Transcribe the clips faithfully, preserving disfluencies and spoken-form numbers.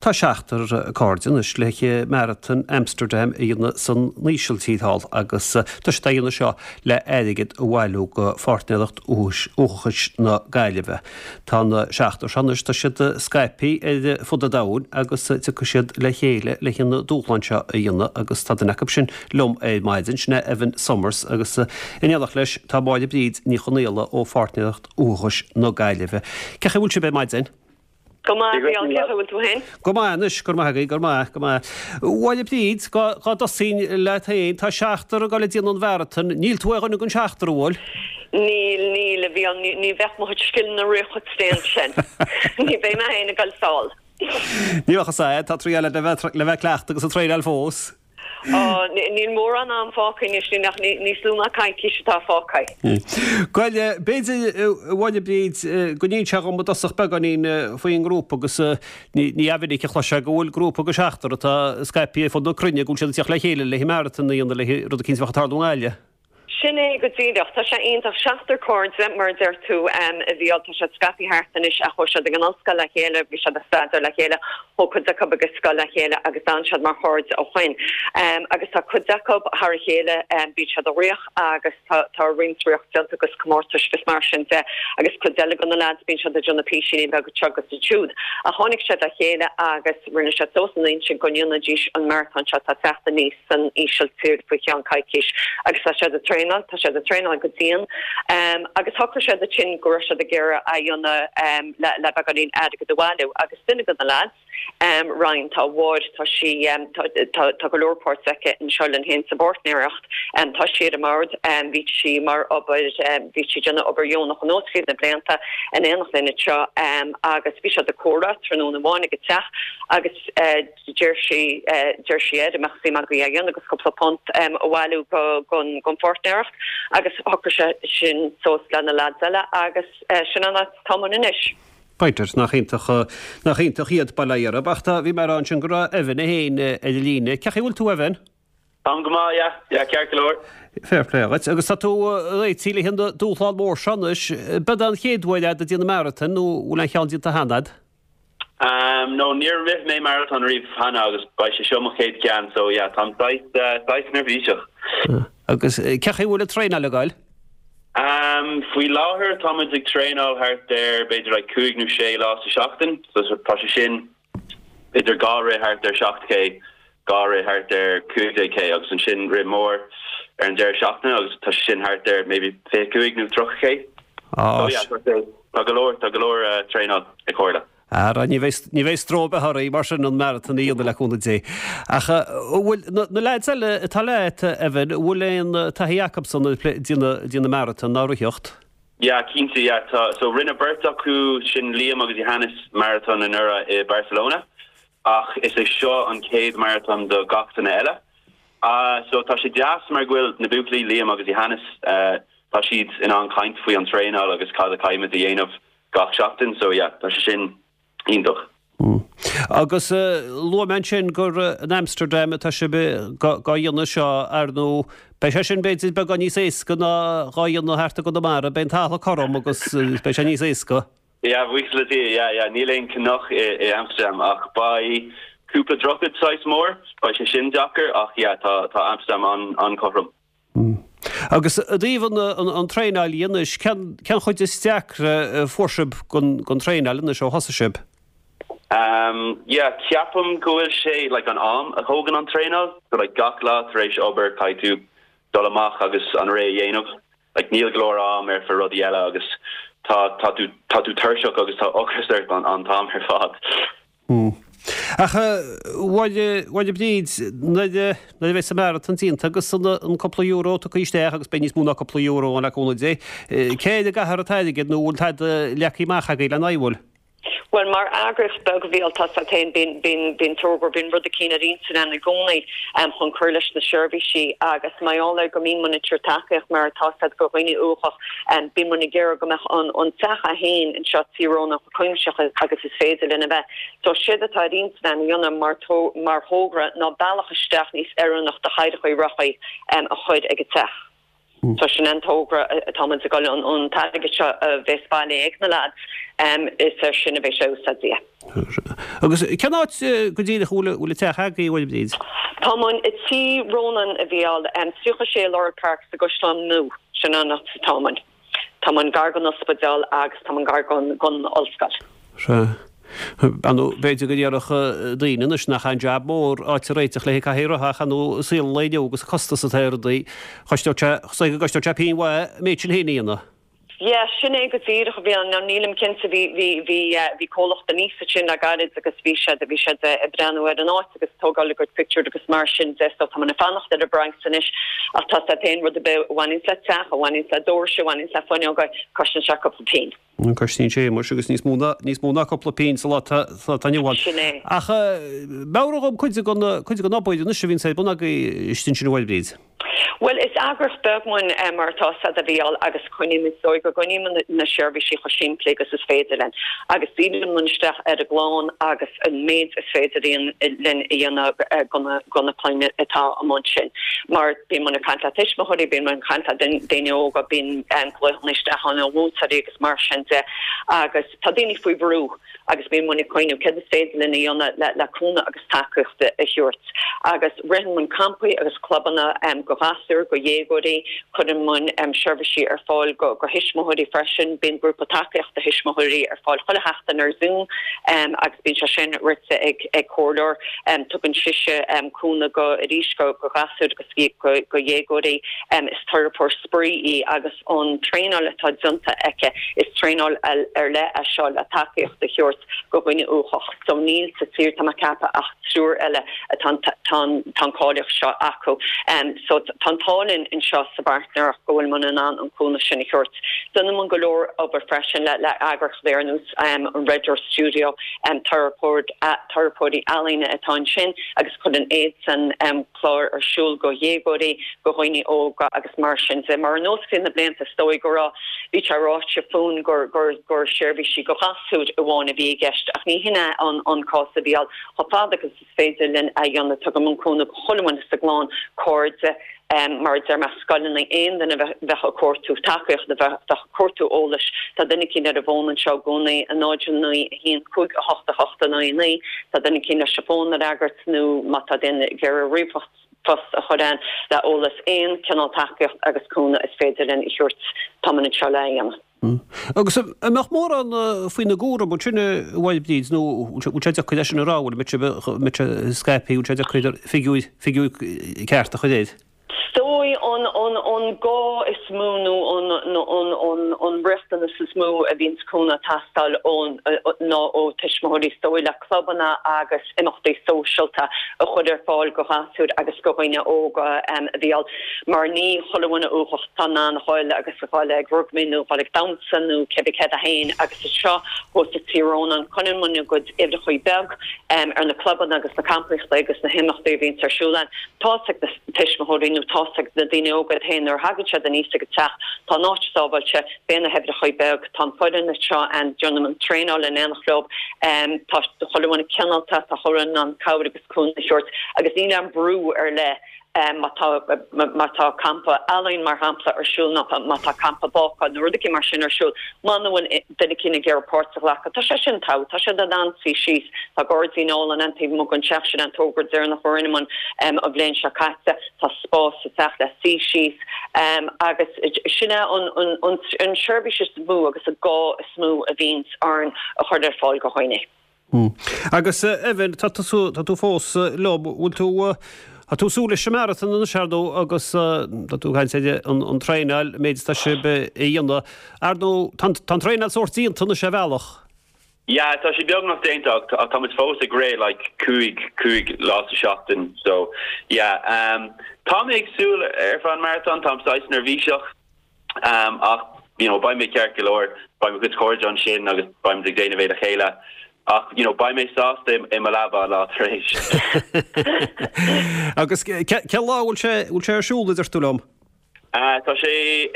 Tá seachtar cairde anois le Marathon Amsterdam a dhéanamh san Ísiltír thall agus tá siad á dhéanamh seo le airgead a bhailiú go Pháirtnéireacht Uathachais na Gaillimhe. Tá na seachtar seo anois tá siad scaipthe ar fud an domhain agus tiocfaidh siad le chéile le an dúshlán seo a dhéanamh agus tá duine acu sin liom ar maidin sin é Evan Summers agus in éineacht leis tá Máire Bríd Ní Chonaola ó Pháirtnéireacht Uathachais na Gaillimhe. Cén chaoi a bhfuil sibh ar maidin? Go maith bhfuil tú féin? Go maith anois go maith go maith go maith. Máire Bríd dá dtosóinn leat féin tá seachtar ag dul ag déanamh an mharathon, níl tú ar dhuine den seachtar an bhfuil? Níl níl a bhí ní bheadh mo chuid scileanna riamh chomh tréan sin. Ní bheidh mé féin ag dul sall. Ní bheadh sé tá trí le bheith le bheith cleachtadh agus ag traenáil fós. Níl mórán am fágtha anois nach níos lú ná coicís atá fágtha. Bhuel b'fhéidir a Mháire Bríd go n-inseofá dhom i dtosach beagáinín faoin ngrúpa agus ní minic a chloisfeá go bhfuil grúpa de sheachtar atá scaipthe ar fud na cruinne go bhfuil siad ag teacht le chéile le marathon a dhéanamh le rud eicínt a bheadh ag tarlú i nGaillimh. Sin é go díreach tá sé iontach seachtar cairde mar deir tú a bhí tá siad scaipthe thart anois a chuaigh siad ag an ollscoil le chéile, bhí siad ag staidéar le chéile, thóg cuid acu ag scoil le chéile agus d'fhan siad mar chairde ó shin. Um, agus tá cuid acu thar a chéile um, bíonn siad ag rith agus tá tá roinnt rith déanta agus comórtais agus mar sin de agus cuid eile de na lads bíonn siad ag déanamh píosaí beaga agus siúd. A tháinig siad le chéile agus rinne siad suas an intinn go ndéanfaidís an marathon seo tá teacht aníos san Ísiltír faoi cheann coicís agus tá siad ag traenáil tá siad ag traenáil go dian um, agus shocraigh siad ansin go raibh siad ag iarraidh a dhéanamh um, le le beagáinín airgead a bhailiú agus duine de na lads um, Ryan tá bháir tá sí um, tá, tá, tá go leor páirt aici anseo linn féin sa bpáirtnéireacht um, tá sí ar an mbord um, bhí sí mar obair um, bhí sí déanamh obair dheonach an tríd na blianta in éineacht linn seo um, agus bhí siad ag comhrá tráthnóna amháin ag teach agus uh, deir sí uh, deir sí ar mbeadh suim agaibh a dhéanamh agus cúpla punt um, a bhailiú go gon gon pháirtnéireacht agus shocraigh sé sin suas le na lads eile agus uh, sin an tá anois. B'fhéidir nach iontach nach iontach iad bailire, ach tá bhí mar an sin go raibh Evan féin ar an líne. Cén chaoi a bhfuil tú Evan? Tá go maith yeah, yeah, ceart go leor. Fair play agus tá tú réitithe le an dúshlán mór seo anois, b'é an chéad uair ag déanamh marathon nó bhfuil aon cheann déanta cheana agat? Um, no níor rith mé marathon riamh cheana agus beidh sé seo mo chéad cheann so yeah, tá uh, neirbhíseach. Agus cén chaoi a bhfuil an traenáil ag goil? Um, faoi láthair táimid ag traenáil thart ar b'fhéidir like, cúig nó sé lá sa seachtain, so tá sé sin idir dhá rith thart ar seacht K dhá rith thart ar cúig K agus ansin rith mór ar an deireadh seachtaine agus tá sin thart ar maybe fiche cúig nó tríocha K. Ah, so, yeah, tá go leor tá go leor uh, traenáil ag tarlú. Ara ní ní bheidh stró oraibh mar sin an marathon a dhéanamh le cúnamh Dé. Ach bhfuil na lads eile atá leat Evan bhfuil aon taithí acusan déanamh marathon ná ritheacht? Yeah, cinnte yeah, tá, so rinne beirt acu sin Liam agus Johannes marathon anuraidh i Barcelona ach is é seo an chéad marathon do gach duine eile. Uh, so tá sé deas mar go bhfuil na buachaillí Liam agus Johannes uh, tá siad in ann caint faoi an traenáil agus cad a chaithfimid a dhéanamh gach seachtain, so yeah, tá sé sin iontach. Mm. Agus uh, luaigh mé sin gur uh, in Amsterdam atá sibh dhá dhéanamh seo ar nó beidh sé sin b'fhéidir beagán níos éasca ná dhá dhéanamh thart i gConamara, beidh an talamh cothrom agus uh, beidh sé níos éasca. Yeah, buíochas le Dia, yeah, yeah, níl aon cnoc i, i Amsterdam ach beidh cúpla droichead saghas mór, beidh sé sin deacair ach yeah, tá tá Amsterdam an an cothrom. Mm. Agus i dtaobh an, an, an traenáil anois cén cén chuid is deacra fuair sibh gon gon traenáil anois ó thosaigh sibh. Um, yeah, ceapaim go bhfuil sé like, an am a thógann an traenáil, so like, gach lá tar éis obair caithfidh tú dul amach agus an rith a dhéanamh. Like, níl go leor am ar fud rudaí eile agus tá tá tú tá tú tuirseach agus tá ocras ort an an t-am ar fad. Mm. Ach bhhaile bríd nuair a bheas an marathon déanta agus an an cúpla euro tugtha isteach agus beidh níos mó ná cúpla euro an le cúnamh Dé. Cé a gcaithfear an t-airgead nó bhfuil tada leagtha amach agaibh lena bhfuil? Well mar eagraíocht beag a bhí tá féin bíonn bíonn tógur bíonn rud eicínt ar intinn againn i gcónaí um, chun cur leis na seirbhísí agus maidir le go mbíonn muid ag tacaíocht mar tá siad go dhaoine uathacha um, bíonn muid ag iarraidh go mbeadh an an teach a haon anseo tírónach cuimseach agus is féidir lena bheith. So séard atá ar intinn againn a dhéanamh mar mar thogra ná bealach isteach níos oiriúnach do chaidreacha rachaí um, a chur ag an teach. So sin an togra atá muid ag dul an an t-airgead seo a bheas bailithe ag na lads um, is ar sin a bheidh sé úsáidte. Agus cén áit go díreach bhfuil bhfuil an teach agaibh a Bhríd? Tá muid i Tí Rónáin a Mhícheáil um, tríocha sé Laurel Park sa gCaisleán Nua sin an áit atá muid. Tá muid gar don ospidéal agus tá muid gar don don ollscoil. Se. Anu b'fhéidir go ndéarfadh daoine anois nach aon jab mór áit a réiteach le cathaoir rotha ach anu saol lae inniu agus costas atá ar rudaí chostódh sé go gcostódh sé pingin mhaith an méid sin féin a dhéanamh. Yeah, sin é go díreach a bhí an nílim cinnte bhí bhí bhí bhí comhlacht aníos ansin le gairid agus bhí siad bhí siad ag breathnú ar an áit agus tógáil a gcuid pictiúr agus mar sin de so tá muid ag fanacht ar an bpraghas anois ach tá sé aon rud a bhaineann le teach a bhaineann le doirse a bhaineann le fuinneoga cosnaíonn sé cúpla pingin. Cosnaíonn sé muis agus níos mó níos mó ná cúpla pingin sa lá atá inniu ann. Sin é. Ach meabhraigh dom cuid den cuid den obair anois a bhíonn ar bun agaibh istigh ansin a Bhríd. Well is eagraíocht beag muid um, mar tá sa a bhíall agus coinnímid so go gcoinnímid na seirbhísí chomh simplí agus is féidir linn. Agus dírímid isteach ar an gclann agus an méid is féidir linn a dhéanamh do na clainne atá amuigh ansin. Mar bíonn muid ag caint le tuismitheoirí, bíonn muid ag caint le daoine óga bíonn glaochanna isteach an mhúinteoirí agus mar sin de agus tá daoine faoi bhrú agus bíonn muid ag cuimhneamh céard is féidir linn a dhéanamh le le cúnamh agus tacaíocht a thabhairt. Agus ritheann muid campaí agus clubanna um, go ghasúir go dhéagóirí cuireann muid um, seirbhísí ar fáil go go thuismitheoirí freisin bíonn grúpa tacaíochta thuismitheoirí ar fáil chuile sheachtain ar Zoom um, agus bíonn sé sin rite ag ag comhairleoir um, tugann sise um, cúnamh go arís go go ghasúir agus go, go dhéagóirí um, is teiripeoir spraoi í agus an traenáil atá déanta aici is traenáil ar leith é seo le tacaíocht a thabhairt go dhuine uathach so níl sa tír tá mé ag ceapadh ach triúr eile atá an cáilíocht seo acu. Um, so tá an t-ádh linn anseo sa bpáirtnéireacht go bhfuil muid in ann an cúnamh sin a thabhairt. Déanann muid go leor obair freisin le le eagraíocht ar nós um, an Red Door Studio um, teiripeoirí ealaíne atá ansin agus cuireann iadsan um, clár ar siúl go dhéagóirí go dhaoine óga agus mar sin de mar nós na blianta is dóigh go raibh bhí sé ráite fúinn gur gur gur seirbhísí go ghasúir amháin a bhí i gceist ach ní hin é an an cás a bhí chomh fada agus is féidir linn a dhéanamh tugann muid cúnamh chuile dhuine sa gclann cairde um, mar deir mé scoileanna aon duine bheith ag cuartú tacaíocht bheith ag cuartú eolais tá duine éicint ar an bhfón anseo i gcónaí a náid naoi a haon cúig a hocht a hocht a naoi naoi tá duine éicint leis an bhfón a fhreagairt nó má tá duine ag iarraidh ríomhphost a chur in le eolas aon cineál tacaíocht agus cúnamh is féidir linn a thabhairt tá muid anseo le dhéanamh. Mm. Agus an mbeadh mórán faoina gcúram sin a Bhríd nó bhfuil sé deacair leis an rá bhfuil mit scaipí bhfuil sé deacair figiúr figiúr ceart a chur air. Is dóigh an an an gá is mó nó an an an an riachtanas is mó a bhíonn cúnamh ag teastáil ón ná ó tuismitheoirí is dóigh le clubanna agus imeachtaí sóisialta a chur ar fáil go ghasúir agus go dhaoine óga um, a bhí mar ní chuile dhuine uathach atá in ann a ghoil agus a ghoil ag rugbaí nó ghoil ag damhsa nó cibé céard é féin agus is seo thuas i Tí Rónáin coinníonn muid a gcuid uimhreacha beag um, ar na clubanna agus na campaí agus na himeachtaí a bhíonn ar siúl ann. Tá ag na tuismitheoirí nó tá ag na daoine óga féin nuair a thagann siad aníos ag an teach tá an áit sábháilte beidh na huimhreacha beag tá foireann anseo an déanann an traenáil in aon chlub um, tá chuile dhuine cineálta tá chuile dhuine in ann cabhair agus cúnamh a thabhairt agus níl an brú ar leith um, má tá má tá campa ealaíon mar shampla ar siúl nó má tá campa bácála nó rudaí mar sin ar siúl muna bhfuil duine éicint ag iarraidh páirt a ghlacadh Tá sé sin tá tá sé in ann suí síos tá gairdín álainn an taobh amuigh den teach sin an togra deireanach a rinne muid um, an bhliain seo caite tá spás sa teach le suí síos um, agus sin é an, an, an, an seirbhís is mó agus an gá is mó a bhíonn orainn a chur ar fáil go dhaoine. Hmm. Agus Evan tá tá tú fós liom bhfuil tú Tá tú súil leis an marathon an seardó agus tá tú ag caint an an traenáil méid tá sibh a dhéanamh. Ar nó tá an traenáil sórt déanta na sé bhealach. Yeah, tá sé beagnach déanta ach tá muid fós ag rith like cúig cúig lá sa seachtain so yeah um, tá mé ag súil ar fad an marathon tá saghas neirbhíseach um, ach you know beidh mé ceart go leor beidh mo chuid cairde ansin agus beidh ag déanamh é le chéile ach you know beidh mé sásta i mo leaba lá tar éis. Agus cén lá bhfuil sé bhfuil sé ar siúl a deir tú liom? Uh, tá sé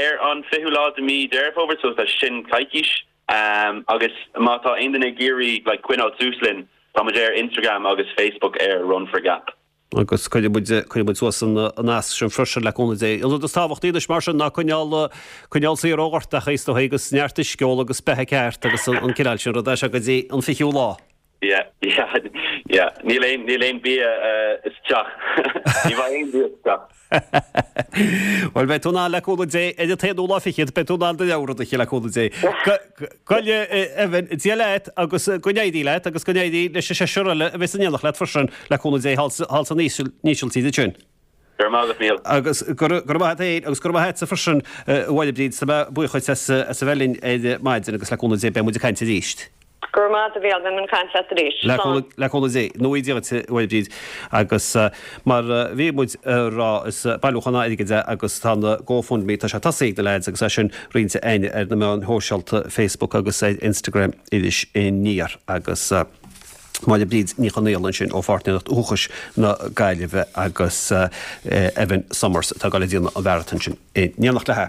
ar an fichiú lá de mí Deireadh Fómhair so tá sin coicís um, agus má tá aon duine ag iarraidh like, coinneáil suas linn tá muid ar Instagram agus Facebook ar Run for Gap. Agus cuirfidh muid, cuirfidh muid suas an nasc sin freisin le cúnamh Dé. An rud is tábhachtaí anois mar sin ná coinneáil, coinneáil saor ó ghortachaí is dóigh agus neart uisce a ól agus beatha ceart agus an cineál sin ruda seo go dtí an fichiú lá. Yeah, yeah, yeah. Níl aon, níl aon bia isteach. Ní bheidh aon bia isteach. Bhuel, beidh tú in ann le cúnamh Dé, ar an t-aonú lá fichead, beidh tú in ann do leabhar a ithe le cúnamh Dé. Go Evan, Dia leat agus go n-éirí leat agus go n-éirí leis an seisear eile a bheas in éineacht leat freisin le cúnamh Dé thall san Ísiltír ansin. Go raibh maith agat, Mícheál. Agus go raibh maith agat féin agus go raibh maith agatsa freisin, a Mháire Bríd, tá mé buíoch dhuit as a bheith linn ar maidin agus le cúnamh Dé beidh muid ag caint arís. Go raibh maith agat, a Mhícheál, beidh muid ag caint leat arís. Slán. Le cúnamh Dé. Nó Dia dhuit, a Mháire Bríd. Agus mar a bhí muid a rá, is bailiúchán airgid é agus tá an GoFundMe, tá sé tosaithe ag na leaids agus é sin roinnte againn ar na meáin shóisialta, Facebook agus ar Instagram, Iris Aniar. Agus Máire Bríd Ní Chonaola ansin ó Pháirtnéireacht Uathachais na Gaillimhe agus Evan Summers atá ag dul a dhéanamh an mharathon sin in éineacht léi.